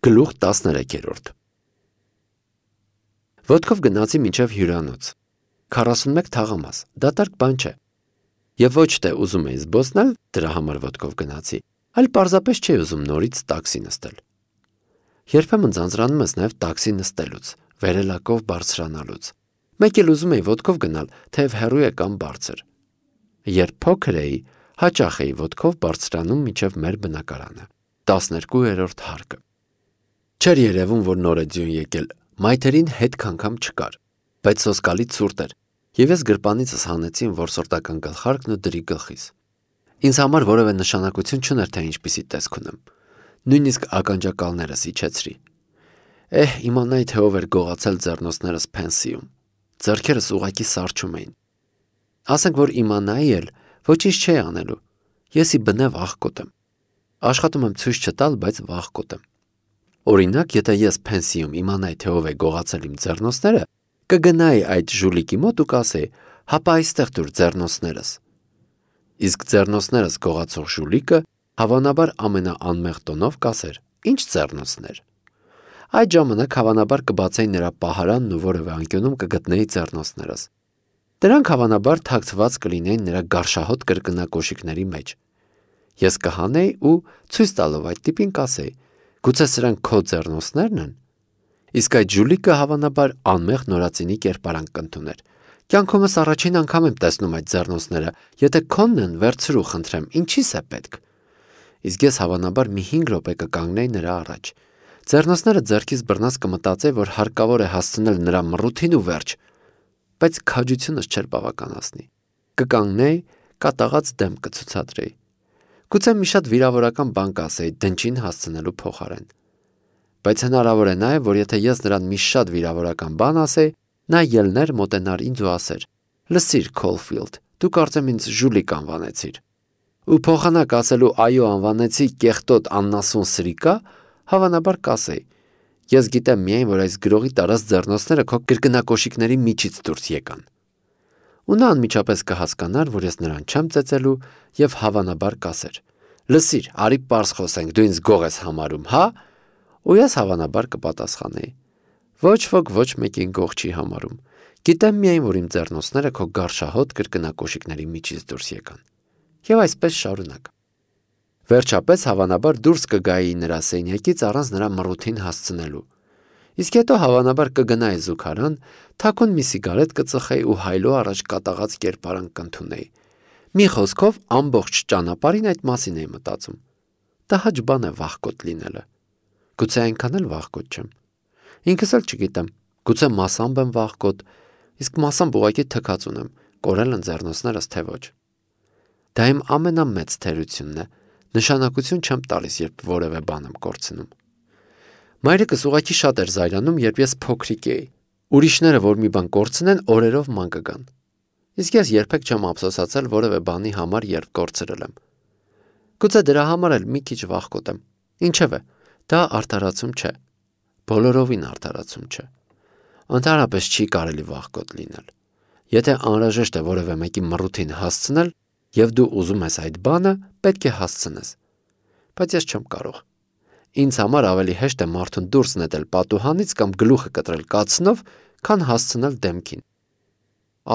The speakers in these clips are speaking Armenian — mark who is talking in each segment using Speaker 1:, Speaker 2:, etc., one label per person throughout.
Speaker 1: Գլուխ 13 Ոտքով գնացի մինչև հյուրանոց 41 թաղամաս, դատարկ բան չէ Եվ ոչ թե ուզում էի զբոսնել, դրա համար ոտքով գնացի, այլ պարզապես չէի ուզում նորից տաքսի նստել Երբեմն ձանձրանում ես նաև տաքսի նստելուց, վերելակով բարձրանալուց Մեկ էլ ուզում էի ոտքով գնալ, թեև հեռու է կամ բարձր Երբ փոքր էի, հաճախ էի ոտքով բարձրանում մինչև մեր բնակարանը 12-րդ հարկը Չէր երևում, որ նոր է ձյուն եկել, մայթերին հետ քանգամ չկար, բայց սոսկալի ցուրտ էր, և ես գրպանիցս հանեցի որսորդական գլխարկն ու դրի գլխիս։ Ինձ համար որևէ նշանակություն չուներ, թե ինչպիսի տեսք ունեմ, նույնիսկ ականջակալներս իջեցրի։ Իմանայի, թե ով էր գողացել ձեռնոցներս Փենսիում, ձեռքերս ուղղակի սառչում էին։ Ասենք, որ իմանայի էլ, ոչինչ չէի անելու, ես ի բնավ աղքոտ եմ։ Աշխատում եմ ցույց չտալ, բայց վախկոտ եմ։ Օրինակ, եթե ես Փենսիում իմանայի, թե ով է գողացել իմ ձեռնոցները, կգնայի այդ ժուլիկի մոտ ու կասեի, հապա այստեղ դուր ձեռնոցներս։ Իսկ ձեռնոցներս գողացող ժուլիկը հավանաբար ամենաանմեղ տոնով կասեր. Ինչ ձեռնոցներ։ Այդ ժամանակ հավանաբար կբացեի նրա պահարանն ու որևէ անկյունում կգտնեի ձեռնոցներս։ Դրանք հավանաբար թաքցված կլինեին նրա գարշահոտ կրկնակոշիկների մեջ։ Ես կհանեի ու ցույց տալով այդ տիպին կասեի. Գուցե սրանք քո ձեռնոցներն են։ Իսկ այդ ժուլիկը հավանաբար անմեղ նորածինի կերպարանք կընդուներ։ Կյանքումս առաջին անգամ եմ տեսնում այդ ձեռնոցները, եթե քոնն են, վերցրու, խնդրեմ, ինչի՞ս է պետք։ Իսկ ես հավանաբար մի 5 րոպե կկանգնեի նրա առաջ։ Ձեռնոցները ձեռքից բռնած կմտածեի, որ հարկավոր է հասցնել նրա մռութին ու վերջ, բայց քաջությունս չէր բավականացնի։ Կկանգնեի, կատաղած դեմ կցուցադրեի։ Գուցե մի շատ վիրավորական բան կասեի դնչին հասցնելու փոխարեն։ Բայց հնարավոր է նաև, որ եթե ես նրան մի շատ վիրավորական բան ասեի, նա ելներ մոտենար ինձ ու ասեր. Լսիր, Քոլֆիլդ, դու կարծեմ ինձ ժուլիկ անվանեցիր։ Ու փոխանակ ասելու այո անվանեցի կեղտոտ աննասուն սրիկա, հավանաբար կասեի. Ես գիտեմ միայն, որ այս գրողի տարած ձեռնոցները քո կրկնակոշիկների միջից դուրս եկան։ Ու նա անմիջապես կհասկանար, որ ես նրան չեմ ծեծելու և հավանաբար կասեր. Լսիր, արի պարզ խոսենք, դու ինձ գող ես համարում, հա։ Ու ես հավանաբար կպատասխանեի. Ոչ ոք ոչ մեկին գող չի համարում։ Գիտեմ միայն, որ իմ ձեռնոցները քո գարշահոտ կրկնակոշիկների միջից դուրս եկան։ Եվ այսպես շարունակ։ Վերջապես հավանաբար դուրս կգայի նրա սենյակից առանց նրա մռութին հասցնելու։ Իսկ հետո հավանաբար կգնայի զուգարան, թաքուն մի սիգարետ կծխեի ու հայլո առաջ կատաղած կերպարանք կընդունեի։ Մի խոսքով ամբողջ ճանապարհին այդ մասին էի մտածում։ Տհաճ բան է վախկոտ լինելը։ Գուցե այնքան էլ վախկոտ չեմ։ Ինքս էլ չգիտեմ, գուցե մասամբ եմ վախկոտ, իսկ մասամբ ուղղակի թքած ունեմ, կորել են ձեռնոցներս թե ոչ։ Դա իմ ամենամեծ թերությունն է, նշանակություն չեմ տալիս, երբ որևէ բան եմ կորցնում։ Մայրիկս ուղղակի շատ էր զայրանում, երբ ես փոքրիկ էի։ Ուրիշները, որ մի բան կորցնեն, օրերով ման կգան։ Իսկ ես երբեք չեմ ափսոսացել որևէ բանի համար, երբ կորցրել եմ։ Գուցե դրա համար էլ մի քիչ վախկոտ եմ։ Ինչևէ, դա արդարացում չէ։ Բոլորովին արդարացում չէ։ Ընդհանրապես չի կարելի վախկոտ լինել։ Եթե անհրաժեշտ է որևէ մեկի մռութին հասցնել, եւ դու ուզում ես այդ բանը, պետք է հասցնես։ Բայց ես չեմ կարող։ Ինձ համար ավելի հեշտ է մարդուն դուրս նետել պատուհանից կամ գլուխը կտրել կացնով, քան հասցնել դեմքին։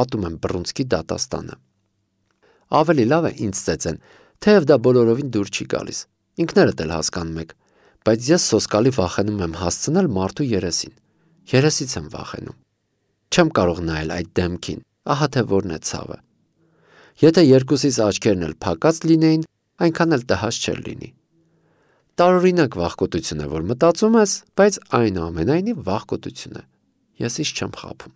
Speaker 1: Ատում եմ բռունցքի դատաստանը։ Ավելի լավ է ինձ ծեծեն, թեև դա բոլորովին դուր չի գալիս։ Ինքներդ էլ հասկանում եք, բայց ես սոսկալի վախենում եմ հասցնել մարդու երեսին։ Երեսից եմ վախենում։ Չեմ կարող նայել այդ դեմքին, ահա թե որն է ցավը։ Եթե երկուսիս աչքերն էլ փակած լինեին, այնքան էլ տհաճ չէր լինի։ Տարօրինակ վախկոտություն է, որ մտածում ես, բայց այնուամենայնիվ վախկոտություն է։ Ես ինչ չեմ խաբում։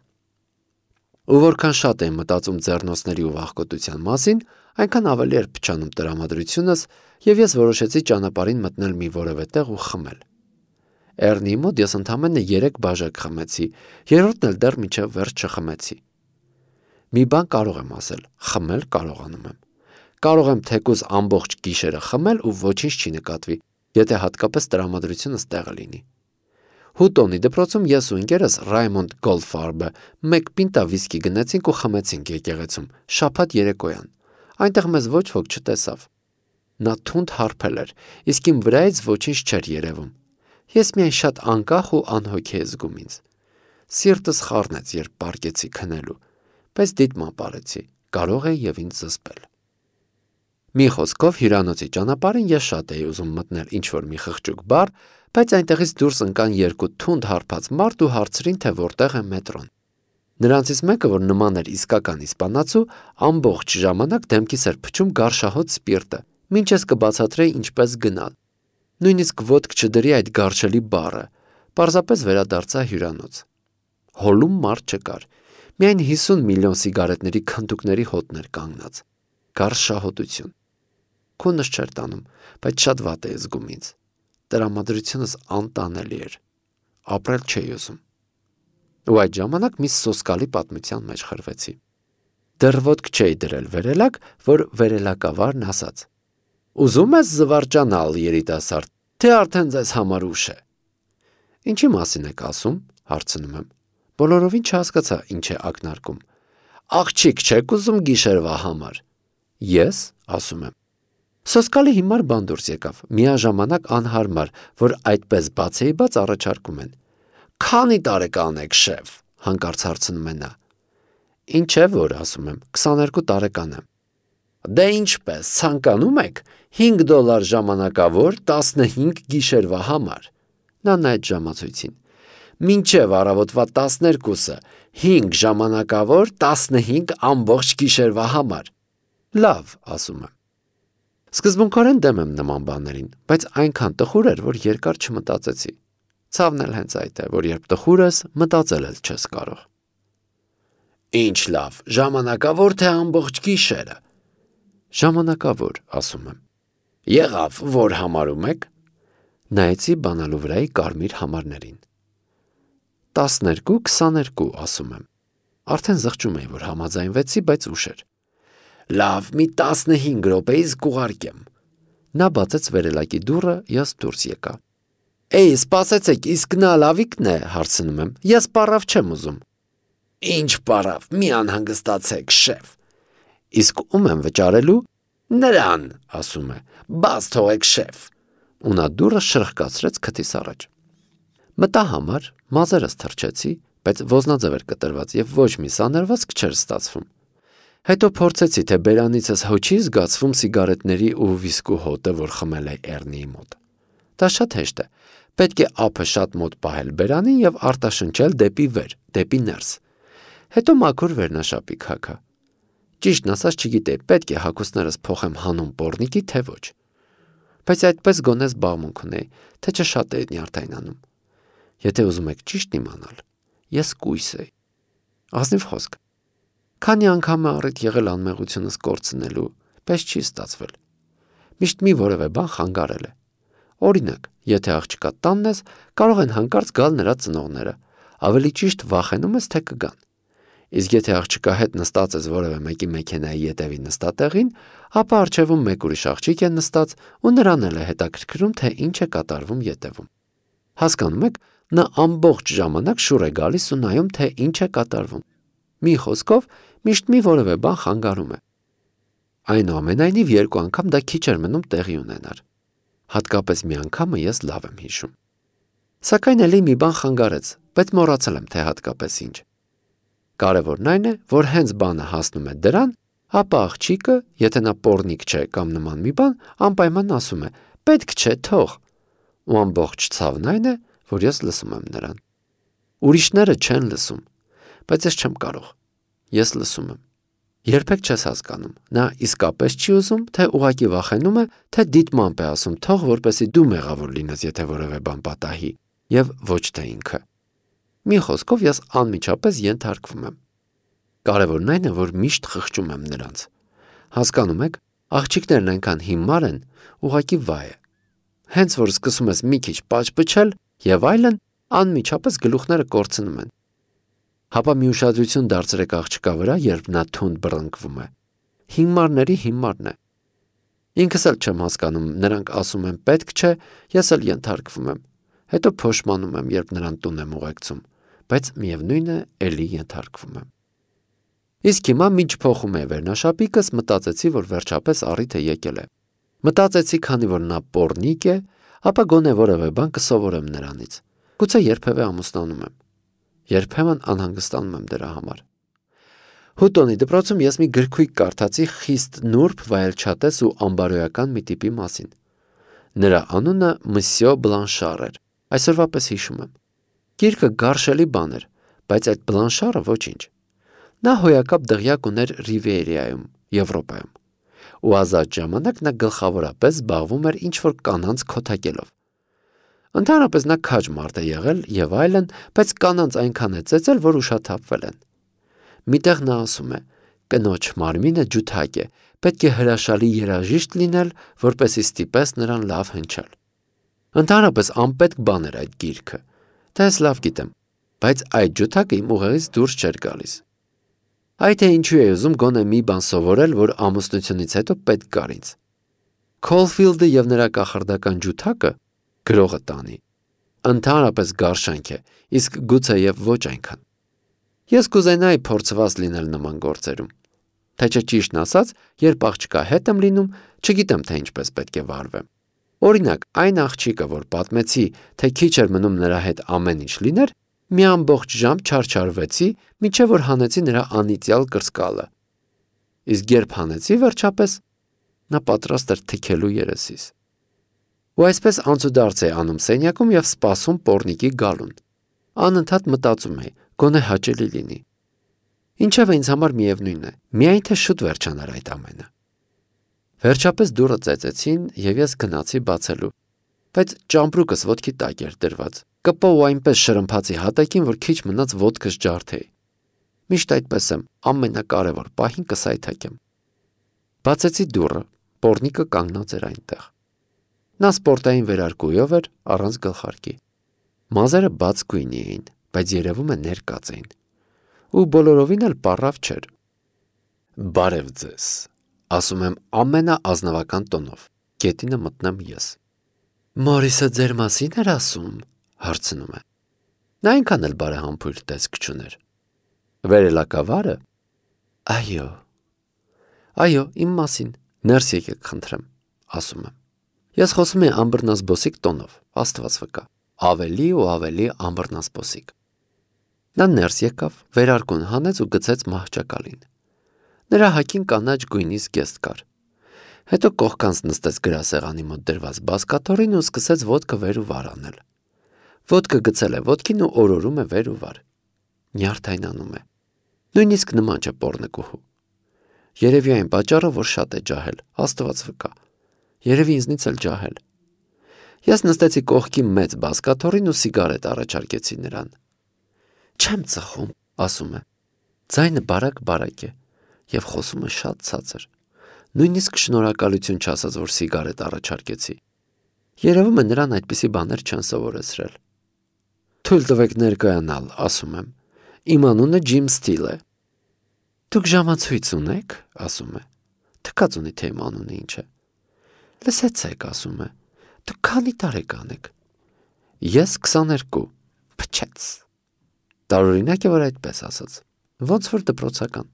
Speaker 1: Ու որքան շատ եմ մտածում ձեռնոցների ու վախկոտության մասին, այնքան ավելի էր փչանում տրամադրությունս, եւ ես որոշեցի ճանապարհին մտնել մի որևէ տեղ ու խմել։ Էռնի մոտ ես ընդամենը 3 բաժակ խմեցի, երրորդն էլ դեռ մինչև վերջ չխմեցի։ Մի բան կարող եմ ասել, խմել կարողանում եմ։ Կարող եմ թեկուզ ամբողջ գիշերը խմել ու ոչինչ չի նկատվի, եթե հատկապես տրամադրությունս տեղը լինի։ Հուտոնի դպրոցում ես ու ընկերս Ռայմոնդ Գոլդֆարբը 1 պինտա վիսկի գնեցինք ու խմեցինք եկեղեցում, շաբաթ երեկոյան։ Այնտեղ մեզ ոչ ոք չտեսավ։ Նա թունդ հարբել էր, իսկ իմ վրայից ոչինչ չէր երևում։ Ես միայն շատ անկախ ու անհոգ է զգում ինձ։ Սիրտս խառնեց, երբ պառկեցի քնելու, բայց դիտմամբ արեցի, կարող է եւ ինձ զսպել։ Մի խոսքով հյուրանոցի ճանապարհին ես շատ էի ուզում մտնել ինչ-որ մի խղճուկ բար, բայց այնտեղից դուրս ընկան երկու թունդ հարբած մարդ ու հարցրին, թե որտեղ է մետրոն։ Նրանցից մեկը, որ նման էր իսկական իսպանացու, ամբողջ ժամանակ դեմքիս էր փչում գարշահոտ սպիրտը, մինչ ես կբացատրեի ինչպես գնալ։ Նույնիսկ ոտք չդրի այդ գարշելի բառը, պարզապես վերադարձա հյուրանոց։ Հոլում մարդ չկար, միայն 50 միլիոն սիգարետների քնտուկների հոտներ կանգնած։ Գարշահոտություն։ Քունս չէր տանում, բայց շատ վատ էի զգում ինձ։ Տրամադրությունս անտանելի էր։ Ապրել չէի ուզում։ Ու այդ ժամանակ մի սոսկալի պատմության մեջ խրվեցի։ Դեռ ոտք չէի դրել վերելակ, որ վերելակավարն ասաց. «Ուզում ես զվարճանալ, երիտասարդ, թե արդեն ձեզ համար ուշ է»։ Ինչի մասին եք ասում, հարցնում եմ։ Բոլորովին չհասկացա ինչ է ակնարկում։ Աղջիկ չեք ուզում գիշերվա համար։ Ես, ասում եմ։ Սոսկալի հիմար բան դուրս եկավ, միաժամանակ անհարմար, որ այդպես բացեի բաց առաջարկում են։ Քանի տարեկան եք, շեֆ, հանկարծ հարցնում է նա։ Ինչ է, որ ասում եմ, 22 տարեկան եմ։ Դե ինչպես, ցանկանում եք $5 ժամանակավոր 15 գիշերվա համար։ Նա նայեց ժամացույցին։ Մինչև առավոտվա 12-ը 5 ժամանակավոր 15 ամբողջ գիշերվա համար։ Լավ, ասում եմ։ Սկզբունքորեն դեմ եմ նման բաներին, բայց այնքան տխուր էր, որ երկար չմտածեցի։ Ցավն էլ հենց այդ է, որ երբ տխուր ես, մտածել էլ չես կարող։ Ինչ լավ, ժամանակավոր թե ամբողջ գիշերը։ Ժամանակավոր, ասում եմ։ Եղավ, որ համարում եք։ Նայեցի բանալու վրայի կարմիր համարներին։ 12-22, ասում եմ։ Արդեն զղջում էի, որ համաձայնվեցի, բայց ուշ էր։ Լավ, մի 15 րոպեից կուղարկեմ։ Նա բացեց վերելակի դուռը, ես դուրս եկա։ Էй, սպասեցեք, իսկ նա լավիկն է, հարցնում եմ։ Ես պարավ չեմ ուզում։ Ինչ պարավ, մի անհանգստացեք, շեֆ։ Իսկ ում եմ վճարելու։ Նրան, ասում է։ Բաց թողեք, շեֆ։ Ու նա դուռը շրխկացրեց քթիս առաջ։ Մտա համար, մազերս թրջեցի, բայց ոզնաձև էր կտրված եւ ոչ մի սանրվածք չէր ստացվում։ Հետո փորձեցի, թե բերանիցս հոչի զգացվում սիգարետների ու վիսկու հոտը, որ խմել է Էրնիի մոտ։ Դա շատ հեշտ է։ Պետք է ափը շատ մոտ պահել բերանին եւ արտաշնչել դեպի վեր, դեպի ներս։ Հետո մաքուր վերնաշապիկ հագա։ Ճիշտն ասած չգիտեի, պետք է հագուստներս փոխեմ հանուն պոռնիկի, թե ոչ։ Բայց այդպես գոնե զբաղմունք ունեի, թե չէ շատ էի նյարդայնանում։ Եթե ուզում եք ճիշտ իմանալ, ես կույս էի։ Ազնիվ խոսք։ Քանի անգամ է առիթ եղել անմեղությունս կորցնելու, պես չի ստացվել։ Միշտ մի որևէ բան խանգարել է։ Օրինակ, եթե աղջկա տանն ես, կարող են հանկարծ գալ նրա ծնողները, ավելի ճիշտ վախենում ես, թե կգան։ Իսկ եթե աղջկա հետ նստած ես որևէ մեկի մեքենայի ետևի նստատեղին, ապա առջևում մեկ ուրիշ աղջիկ է նստած ու նրան էլ է հետաքրքրում, թե ինչ է կատարվում ետևում։ Հասկանում եք, նա ամբողջ ժամանակ շուռ է գալիս ու նայում, թե ինչ է կատարվում։ Մի խոսքով, միշտ մի որևէ բան խանգարում է։ Այնուամենայնիվ երկու անգամ դա քիչ էր մնում տեղի ունենար։ Հատկապես մի անգամը ես լավ եմ հիշում։ Սակայն էլի մի բան խանգարեց, բայց մոռացել եմ, թե հատկապես ինչ։ Կարևորն այն է, որ հենց բանը հասնում է դրան, ապա աղջիկը, եթե նա պոռնիկ չէ կամ նման մի բան, անպայման ասում է. պետք չէ, թող։ Ու ամբողջ ցավն այն է, որ ես լսում եմ նրան։ Ուրիշները չեն լսում, բայց ես չեմ կարող։ Ես լսում եմ։ Երբեք չես հասկանում, նա իսկապես չի ուզում, թե ուղղակի վախենում է, թե դիտմամբ է ասում թող, որպեսզի դու մեղավոր լինես, եթե որևէ բան պատահի, եւ ոչ թե ինքը։ Մի խոսքով ես անմիջապես ենթարկվում եմ։ Կարևորն այն է, որ միշտ խղճում եմ նրանց։ Հասկանում եք, աղջիկներն այնքան հիմար են, ուղղակի վայ է։ Հենց որ սկսում ես մի քիչ պաճպճել եւ այլն, անմիջապես գլուխները կորցնում են։ Հապա մի ուշադրություն դարձրեք աղջկա վրա, երբ նա թունդ բռնկվում է։ Հիմարների հիմարն է։ Ինքս էլ չեմ հասկանում, նրանք ասում են պետք չէ, ես էլ ենթարկվում եմ։ Հետո փոշմանում եմ, երբ նրան տուն եմ ուղեկցում, բայց միևնույն է, էլի ենթարկվում եմ։ Իսկ հիմա մինչ փոխում է վերնաշապիկս, մտածեցի, որ վերջապես առիթը եկել է։ Մտածեցի, քանի որ նա պոռնիկ է, ապա գոնե որևէ բան կսովորեմ նրանից։ Գուցե երբևէ ամուսնանում եմ։ Երբեմն անհանգստանում եմ դրա համար։ Հուտոնի դպրոցում ես մի գրքույկ կարդացի խիստ նուրբ, վայելչատես ու ամբարոյական մի տիպի մասին։ Նրա անունը Մսյո Բլանշար էր, այսօրվա պես հիշում եմ։ Գիրքը գարշելի բան էր, բայց այդ Բլանշարը ոչինչ։ Նա հոյակապ դղյակ ուներ Ռիվիերայում, Եվրոպայում, ու ազատ ժամանակ նա գլխավորապես զբաղվում էր ինչ-որ կանանց քոթակելով։ Ընդհանրապես նա քաջ մարդ է եղել եւ այլն, բայց կանանց այնքան է ծեծել, որ ուշաթափվել են։ Միտեղ նա ասում է. կնոջ մարմինը ջութակ է, պետք է հրաշալի երաժիշտ լինել, որպեսզի ստիպես նրան լավ հնչել։ Ընդհանրապես անպետք բան էր այդ գիրքը, դա ես լավ գիտեմ, բայց այդ ջութակը իմ ուղեղից դուրս չէր գալիս։ Այ թե ինչու է ուզում գոնե մի բան սովորել, որ ամուսնությունից հետո պետք կար ինձ։ Քոլֆիլդը եւ նրա կախարդական ջութակը գրողը տանի։ Ընդհանրապես գարշանք է, իսկ գուցե եւ ոչ այնքան։ Ես կուզենայի փորձված լինել նման գործերում։ Թե չէ ճիշտն ասած, երբ աղջկա հետ եմ լինում, չգիտեմ թե ինչպես պետք է վարվեմ։ Օրինակ, այն աղջիկը, որ պատմեցի, թե քիչ էր մնում նրա հետ ամեն ինչ լիներ, մի ամբողջ ժամ չարչարվեցի, մինչև որ հանեցի նրա անիծյալ կրծկալը։ Իսկ երբ հանեցի վերջապես, նա պատրաստ էր թքելու երեսիս։ Ու այսպես անցուդարձ է անում սենյակում եւ սպասում պոռնիկի գալուն։ Անընդհատ մտածում է, գոնե հաճելի լինի։ Ինչև ինձ համար միևնույն է, միայն թե շուտ վերջանար այդ ամենը։ Վերջապես դուռը ծեծեցին եւ ես գնացի բացելու, բայց ճամպրուկս ոտքի տակ էր դրված, կպո ու այնպես շրմփացի հատակին, որ քիչ մնաց ոտքս ջարդեի։ Միշտ այդպես եմ, ամենակարևոր պահին կսայթակեմ։ Բացեցի դուռը, պոռնիկը կանգնած էր այնտեղ։ Նա սպորտային վերարկուով էր, առանց գլխարկի։ Մազերը բաց գույնի էին, բայց երևում է ներկած էին։ Ու բոլորովին էլ պառավ չէր։ Բարև ձեզ, ասում եմ ամենաազնվական տոնով, գետինը մտնեմ ես։ Մորիսը ձեր մասին էր ասում, հարցնում է։ Նա այնքան էլ բարեհամբույր տեսք չուներ։ Վերելակավարը։ Այո, իմ մասին, ներս եկեք խնդրեմ, ասում եմ։ Ես խոսում եմ ամբռնազբոսիկ տոնով, Աստված վկա, ավելի ու ավելի ամբռնազբոսիկ։ Նա ներս եկավ, վերարկուն հանեց ու գցեց մահճակալին։ Նրա հագին կանաչ գույնի զգեստ կար։ Հետո կողքանց նստեց գրասեղանի մոտ դրված բազկաթոռին ու սկսեց ոտքը վեր ու վար անել։ Ոտքը գցել է ոտքին ու օրորում է վեր ու վար։ Նյարդայնանում է։ Նույնիսկ նման չէ պոռնկուհու։ Երևի այն պատճառը, որ շատ է ջահել, Աստված վկա։ Երևի ինձնից էլ ջահել։ Ես նստեցի կողքի մեծ բազկաթոռին ու սիգարետ առաջարկեցի նրան։ Չեմ ծխում, ասում է։ Ձայնը բարակ է եւ խոսում է շատ ցածր։ Նույնիսկ շնորհակալություն չասած, որ սիգարետ առաջարկեցի։ Երևում է նրան այդպիսի բաներ չեն սովորեցրել։ Թույլ տվեք ներկայանալ, ասում եմ։ Իմ անունը Ջիմ Սթիլ է։ Դուք ժամացույց ունեք, ասում է։ Թքած ունի թե իմ անունը ինչ է։ Լսեցեք, ասում է։ Դուք քանի տարեկան եք։ Ես 22, փչեց։ Տարօրինակ է, որ այդպես ասաց։ Ոնց որ դպրոցական։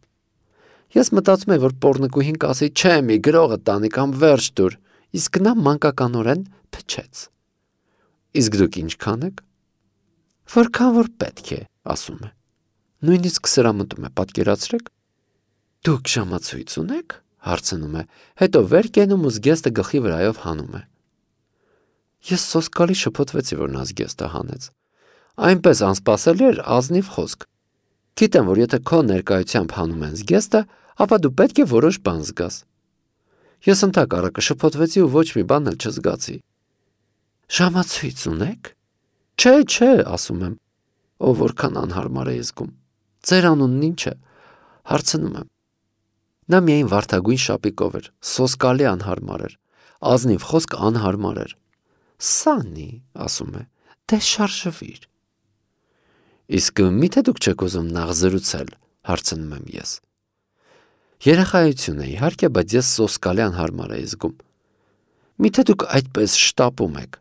Speaker 1: Ես մտածում եմ, որ պոռնկուհին կասի, չէ, մի գրողը տանի կամ վերջ դուր, իսկ նա մանկականորեն փչեց։ Իսկ դուք ինչքան եք։ Որքան որ պետք է, ասում է։ Նույնիսկ սրամտում է, պատկերացրեք։ Դուք ժամացույց ունեք, հարցնում է, հետո վեր կենում ու զգեստը գլխի վրայով հանում է։ Ես սոսկալի շփոթվեցի, որ նա զգեստը հանեց։ Այնպես անսպասելի էր ազնիվ խոսք։ Գիտեմ, որ եթե քո ներկայությամբ հանում են զգեստը, ապա դու պետք է որոշ բան զգաս։ Ես ընդհակառակը շփոթվեցի ու ոչ մի բան էլ չզգացի։ Ժամացույց ունեք։ Չէ, ասում եմ։ Ո որքան անհարմար է զգում։ Ձեր անունն ինչ է, հարցնում եմ։ Նա միայն վարդագույն շապիկով էր, սոսկալի անհարմար էր, ազնիվ խոսք անհարմար էր։ Սանի, ասում է, դե շարժվիր։ Իսկ միթե դուք չեք ուզում նախ զրուցել, հարցնում եմ ես։ Երեխայություն է, իհարկե, բայց ես սոսկալի անհարմար էի զգում։ Միթե դուք այդպես շտապում եք։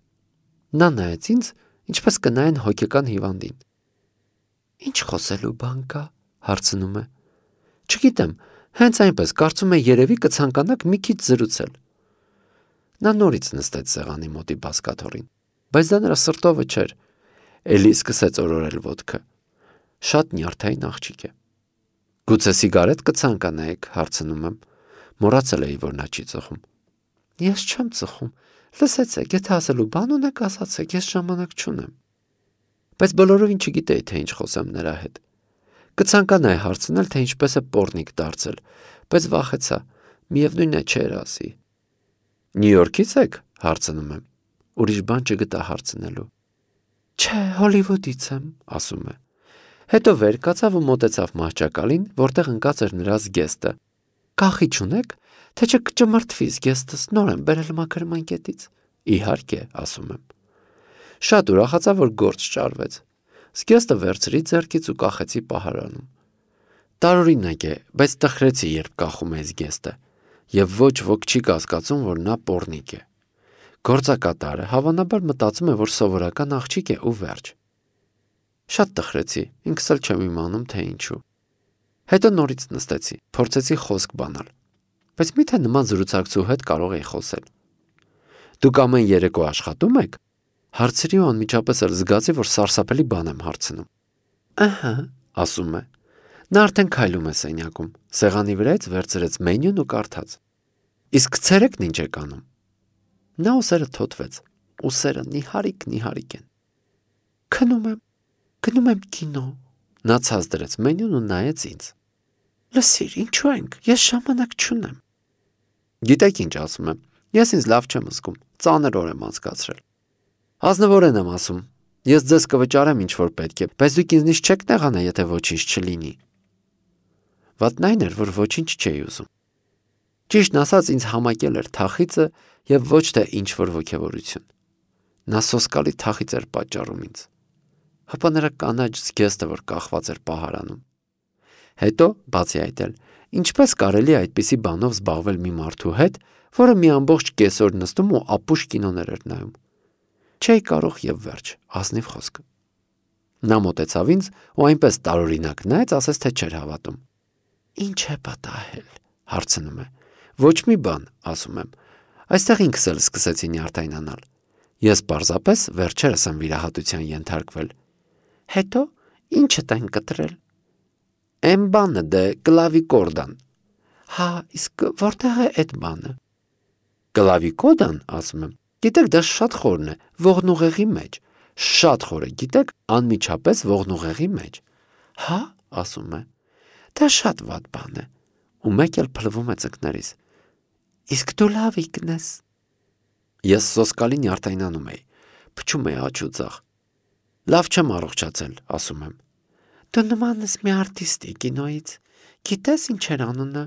Speaker 1: Նա նայեց ինձ, ինչպես կնայեն հոգեկան հիվանդին։ Ինչ խոսելու բան կա, հարցնում է։ Չգիտեմ, հենց այնպես կարծում եմ երևի կցանկանաք մի քիչ զրուցել։ Նա նորից նստեց սեղանի մոտի բազկաթոռին, բայց դա նրա սրտովը չէր, էլի սկսեց օրորել ոտքը։ Շատ նյարդային աղջիկ է։ Գուցե սիգարետ կցանկանայիք, հարցնում եմ, մոռացել էի, որ նա չի ծխում։ Ես չեմ ծխում, լսեցեք, եթե ասելու բան ունեք, ասացեք, ես ժամանակ չունեմ։ Բայց բոլորովին չգիտեի, թե ինչ խոսեմ նրա հետ։ Կցանկանայի հարցնել, թե ինչպես է պոռնիկ դարձել, բայց վախեցա, միևնույնն է չէր ասի։ Նյու Յորքից եք, հարցնում եմ։ Ուրիշ բան չգտա հարցնելու։ Չէ, Հոլիվուդից եմ, ասում է։ Հետո վեր կացավ ու մոտեցավ մահճակալին, որտեղ ընկած էր նրա զգեստը։ Կախիչ ունեք, թե չմրթվի զգեստս, նոր եմ բերել մաքրմանկետից։ Իհարկե, ասում եմ։ Շատ ուրախացա, որ գործ ճարվեց։ Զգեստը վերցրի ձեռքից ու կախեցի պահարանում։ Տարօրինակ է, բայց տխրեցի, երբ կախում էի զգեստը, եւ ոչ ոք չի կասկածում, որ նա պոռնիկ է։ Գործակատարը հավանաբար մտածում է, որ սովորական աղջիկ է ու վերջ։ Շատ տխրեցի, ինքս էլ չեմ իմանում, թե ինչու։ Հետո նորից նստեցի, փորձեցի խոսք բանալ, բայց միթե նման զրուցակցու հետ կարող էի խոսել։ Դուք ամեն երեկո աշխատում եք, հարցրի ու անմիջապես էլ զգացի, որ սարսափելի բան եմ հարցնում։ Ահա, ասում է։ Նա արդեն քայլում է սենյակում, սեղանի վրայից վերցրեց մենյուն ու կարդաց։ Իսկ ցերեկն ինչ եք անում։ Նա ուսերը թոթվեց, ուսերը նիհարիկ են։ Գնում եմ կինո։ Նա ցած դրեց մենյուն ու նայեց ինձ։ Լսիր, ինչու ենք, ես ժամանակ չունեմ։ Գիտեք ինչ ասում եմ, ես ինձ լավ չեմ զգում, ծանր օր եմ անցկացրել։ Ազնվորեն եմ ասում, ես ձեզ կվճարեմ ինչ որ պետք է, բայց դուք ինձնից չեք նեղանա, եթե ոչինչ չլինի։ Վատն այն էր, որ ոչինչ չէի ուզում։ Ճիշտն ասած, ինձ համակել էր թախիծը եւ ոչ թե ինչ որ ոգևորություն։ Նա սոսկալի թախիծ էր պատճառում ինձ։ Հապա նրա կանաչ զգեստը, որ կախված էր պահարանում։ Հետո, բացի այդ էլ, ինչպես կարելի է այդպիսի բանով զբաղվել մի մարդու հետ, որը մի ամբողջ կեսօր նստում ու ապուշ կինոներ էր նայում։ Չէի կարող եւ վերջ, ազնիվ խոսք։ Նա մոտեցավ ինձ ու այնպես տարօրինակ նայեց, ասես թե չէր հավատում։ Ինչ է պատահել, հարցնում է։ Ոչ մի բան, ասում եմ։ Այստեղ ինքս էլ սկսեցի նյարդայնանալ։ Ես պարզապես վերջերս եմ վիրահատության ենթարկվել։ Հետո ի՞նչ եք կտրել։ Էն բանը դե կլավիկորդան։ Հա, իսկ որտեղ է այդ բանը։ Կլավիկոդան, ասում եմ։ Գիտեք, դա շատ խորն է, ողնուղեղի մեջ։ Շատ խոր է, գիտեք, անմիջապես ողնուղեղի մեջ։ Հա, ասում է։ Դա շատ վատ բան է։ Ու մեկ էլ փլվում է ծնկներից։ Իսկ դու լավիկն ես։ Ես սոսկալի նյարդայնանում էի, փչում էի աջ ու ձախ։ Լավ չեմ առողջացել, ասում եմ։ Դու նման ես մի արտիստի կինոյից։ Գիտես ինչ էր անունը։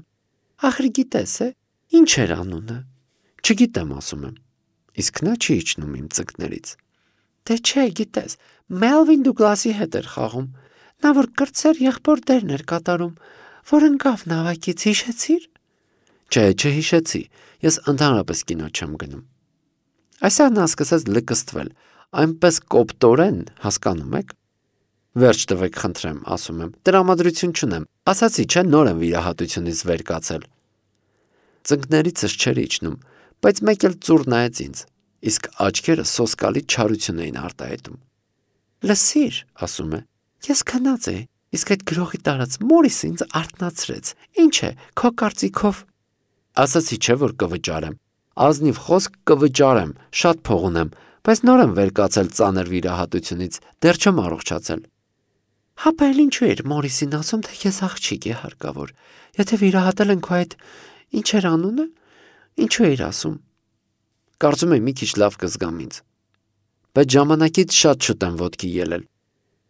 Speaker 1: Ախր գիտես է, ինչ էր անունը։ Չգիտեմ, ասում եմ։ Իսկ նա չի իջնում իմ ծնկներից։ Դե չէ, գիտես, Մելվին Դուգլասի հետ էր խաղում։ Նա որ կրտսեր եղբոր դերն էր կատարում, որ ընկավ նավակից, հիշեցիր։ Չէ, չհիշեցի, ես ընդհանրապես կինո չեմ գնում։ Այսօր նա սկսեց լկստվել, այնպես կոպտորեն, հասկանում եք։ Վերջ տվեք, խնդրեմ, ասում եմ, տրամադրություն չունեմ, ասացի չէ, նոր եմ վիրահատությունից վեր կացել։ Ծնկներիցս չէր իջնում, բայց մեկ էլ ծուռ նայեց ինձ, իսկ աչքերը սոսկալի չարություն էին արտահայտում։ Լսիր, ասում է, ես քնած էի, իսկ այդ գրողի տարած մորիսը ինձ արթնացրեց։ Ինչ է, քո կարծիքով։ Ասացի չէ, որ կվճարեմ։ Ազնիվ խոսք կվճարեմ, շատ փող ունեմ, բայց նոր եմ վեր կացել ծանր վիրահատությունից, դեռ չեմ առողջացել։ Հապա էլ ինչու էր մորիսին ասում, թե ես աղջիկ է հարկավոր։ Եթե վիրահատել են քո այդ ինչ էր անունը, ինչու էր ասում։ Կարծում եմ մի քիչ լավ կզգամ ինձ։ Բայց ժամանակից շատ շուտ եմ ոտքի ելել։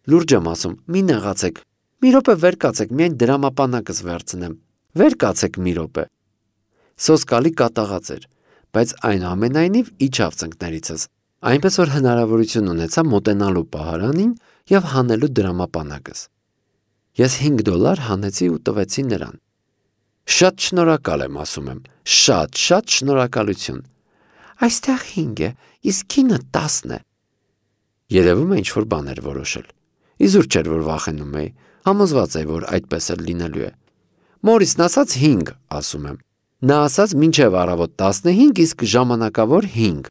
Speaker 1: Լուրջ եմ ասում, մի նեղացեք։ Մի րոպե վեր կացեք, միայն դրամապանակս վերցնեմ։ Վեր կացեք մի րոպե։ Սոսկալի կատաղած էր, բայց այնուամենայնիվ իջավ ծնկներիցս, այնպես որ հնարավորություն ունեցա մոտենալու պահարանին եւ հանելու դրամապանակս։ Ես $5 հանեցի ու տվեցի նրան։ Շատ շնորհակալ եմ, ասում եմ, շատ շնորհակալություն։ Այստեղ 5 է, իսկ ինը 10 է։ Երևում է ինչ-որ բան էր որոշել։ Իզուր չէր, որ վախենում էի, համոզված էի, որ այդպես էլ լինելու է։ Մորիսն ասաց 5, ասում եմ։ Նա ասաց մինչև առավոտ 15, իսկ ժամանակավոր 5։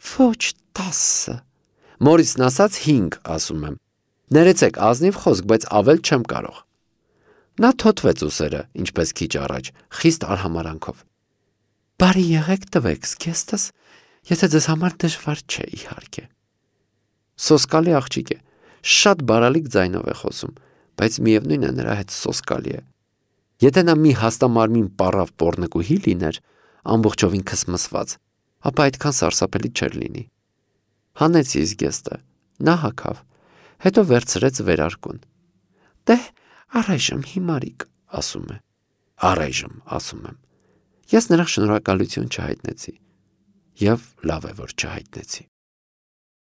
Speaker 1: Ոչ 10։ Մորիսն ասաց 5, ասում եմ։ Ներեցեք ազնիվ խոսք, բայց ավել չեմ կարող։ Նա թոթվեց ուսերը, ինչպես քիչ առաջ, խիստ արհամարանքով։ Բարի եղեք տվեք զգեստս, եթե ձեզ համար դժվար չէ, իհարկե։ Սոսկալի աղջիկ է, շատ բարալիկ ձայնով է խոսում, բայց միևնույն է նրա հետ սոսկալի է։ Եթե նա մի հաստամարմին պառավ պոռնկուհի լիներ, ամբողջովին քսմսված, ապա այդքան սարսափելի չէր լինի։ Հանեցի զգեստը, նա հագավ, հետո վերցրեց վերարկուն։ Դե, առայժմ հիմարիկ, ասում է։ Առայժմ, ասում եմ։ Ես նրան շնորհակալություն չհայտնեցի։ Եվ լավ է, որ չհայտնեցի։